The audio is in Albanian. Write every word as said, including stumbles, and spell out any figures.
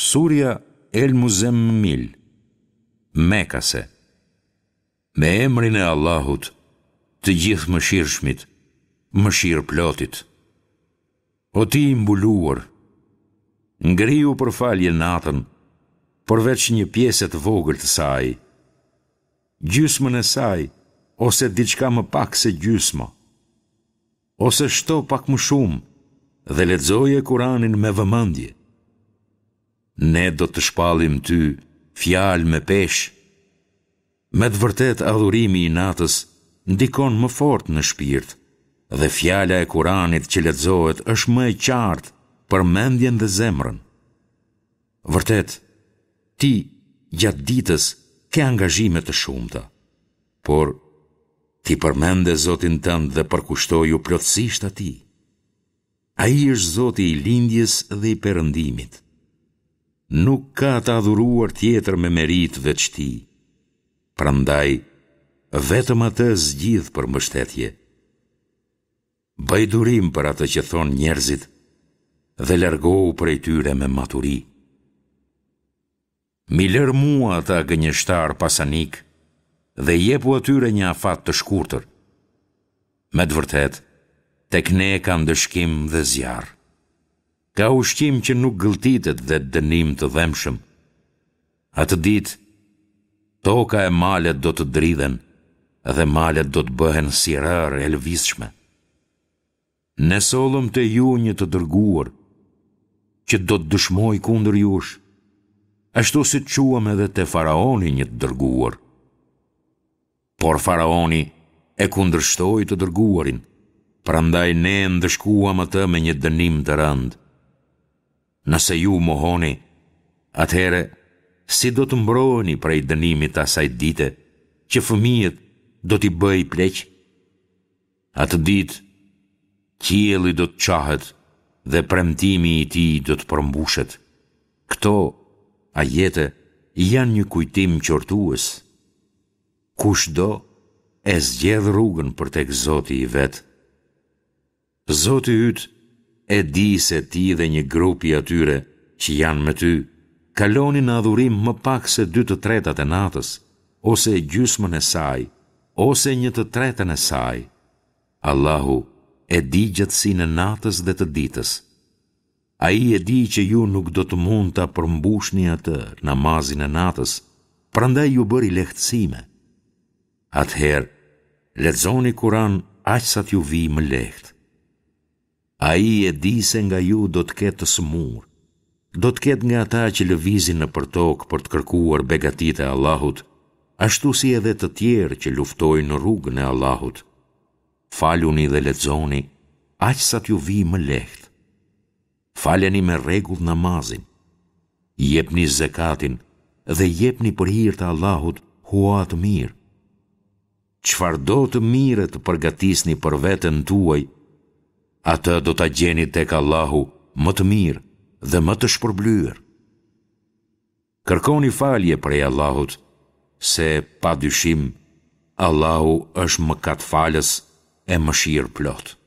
Surja El Muzemmil, Mekase. Me emrin e Allahut, të Gjithëmëshirshmit, Mëshirëplotit. O ti i mbuluar, ngrihu për falje natën, përveç një pjese të vogël të saj, gjysmën e saj ose diçka më pak se gjysma, ose shto pak më shumë dhe lexoje Kuranin me vëmendje. Ne do të shpallim ty fjalë me peshë. Me të vërtetë adhurimi i natës ndikon më fort në shpirt dhe fjala e Kuranit që lexohet është më e qartë për mendjen dhe zemrën. Vërtet, ti gjatë ditës ke angazhime të shumta, por ti përmende Zotin tënd dhe përkushtoju plotësisht atij. Ai është Zoti i lindjes dhe i perëndimit. Nuk ka të adhuruar tjetër me meritë veç tij. Prandaj, vetëm atë zgjidh për mbështetje. Bëj durim për atë që thonë njerëzit dhe largohu prej tyre me maturi. M'i lër mua ata gënjeshtarë pasanikë dhe jepu atyre një afat të shkurtër. Me të vërtetë, tek ne ka ndëshkim dhe zjarr. Ka ushqim që nuk gëlltitet dhe dënim të dhembshëm. Atë ditë, toka e malet do të dridhen dhe malet do të bëhen si rërë e lëvizshme. Ne sollëm te ju një të dërguar, që do të dëshmojë kundër jush, ashtu si çuam edhe te faraoni një të dërguar. Por faraoni e kundërshtoi të dërguarin, prandaj ne e ndëshkuam atë me një dënim të rëndë. Nëse ju mohoni, atëherë si do të mbroheni prej dënimit të asaj dite që fëmijët do t'i bëjë pleq? Atë ditë, qielli do të çahet dhe premtimi i tij do të përmbushet. Këto ajete janë një kujtim qortues. Kush do, e zgjedh rrugën për tek Zoti i vet. Zoti yt e di se ti dhe një grup i atyre që janë me ty kaloni në adhurim më pak se dy të tretat e natës, ose gjysmën e saj, ose një të tretën e saj. Allahu e di gjatësinë e natës dhe të ditës. Ai e di që ju nuk do të mund ta përmbushni atë, namazin e natës, prandaj ju bëri lehtësime. Atëherë, lexoni Kur'an aq sa t'ju vijë më lehtë. Ai e di se nga ju do të ketë të sëmurë, do të ketë nga ata që lëvizin nëpër tokë për të kërkuar begatitë e Allahut, ashtu si edhe të tjerë që luftojnë në rrugën e Allahut. Faluni dhe lexoni aq sa t'ju vijë më lehtë. Faleni me rregull namazin. Jepni zekatin dhe jepni për hir të Allahut hua të mirë. Çfarëdo të mire të përgatisni për veten tuaj, atë do ta gjeni tek Allahu më të mirë dhe më të shpërblyer. Kërkoni falje prej Allahut, se pa dyshim Allahu është mëkatfalës e mëshirëplotë.